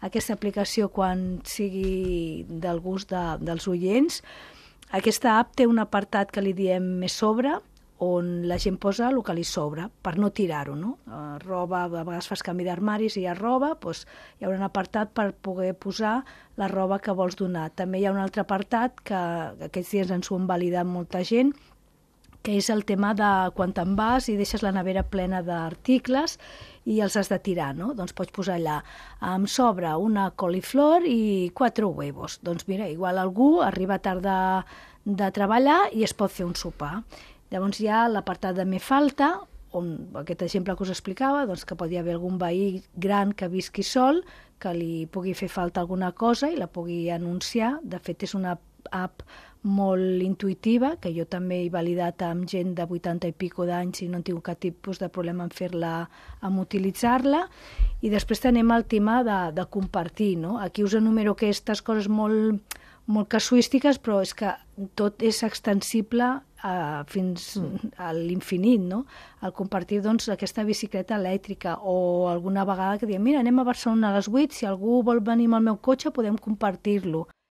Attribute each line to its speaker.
Speaker 1: aquesta aplicació quan sigui del gust dels oients. Aquesta app té un apartat que li diem més sobre, on la gent posa el que li sobra, per no tirar-ho, no? Roba, a vegades fas canvi d'armaris i hi ha roba, doncs hi ha un apartat per poder posar la roba que vols donar. També hi ha un altre apartat que aquests dies ens ho han validat molta gent, que és el tema de quan te'n vas i deixes la nevera plena d'articles i els has de tirar, no? Doncs pots posar allà, em sobra una coliflor i 4 huevos. Doncs mira, igual algú arriba tard de treballar i es pot fer un sopar. Llavors hi ha l'apartat de me falta, on aquest exemple que us explicava, doncs que pot haver algun veí gran que visqui sol, que li pugui fer falta alguna cosa i la pugui anunciar. De fet, és una app molt intuïtiva, que jo també he validat amb gent de 80 i pico d'anys i no he tingut cap tipus de problema en fer-la, en utilitzar-la. I després tenim el tema de compartir, no? Aquí us enumero aquestes coses molt casuístiques, però és que tot és extensible fins a l'infinit, no? El compartir, doncs, aquesta bicicleta elèctrica, o alguna vegada que diem, mira, anem a Barcelona a les 8, si algú vol venir amb el meu cotxe podem compartir-lo.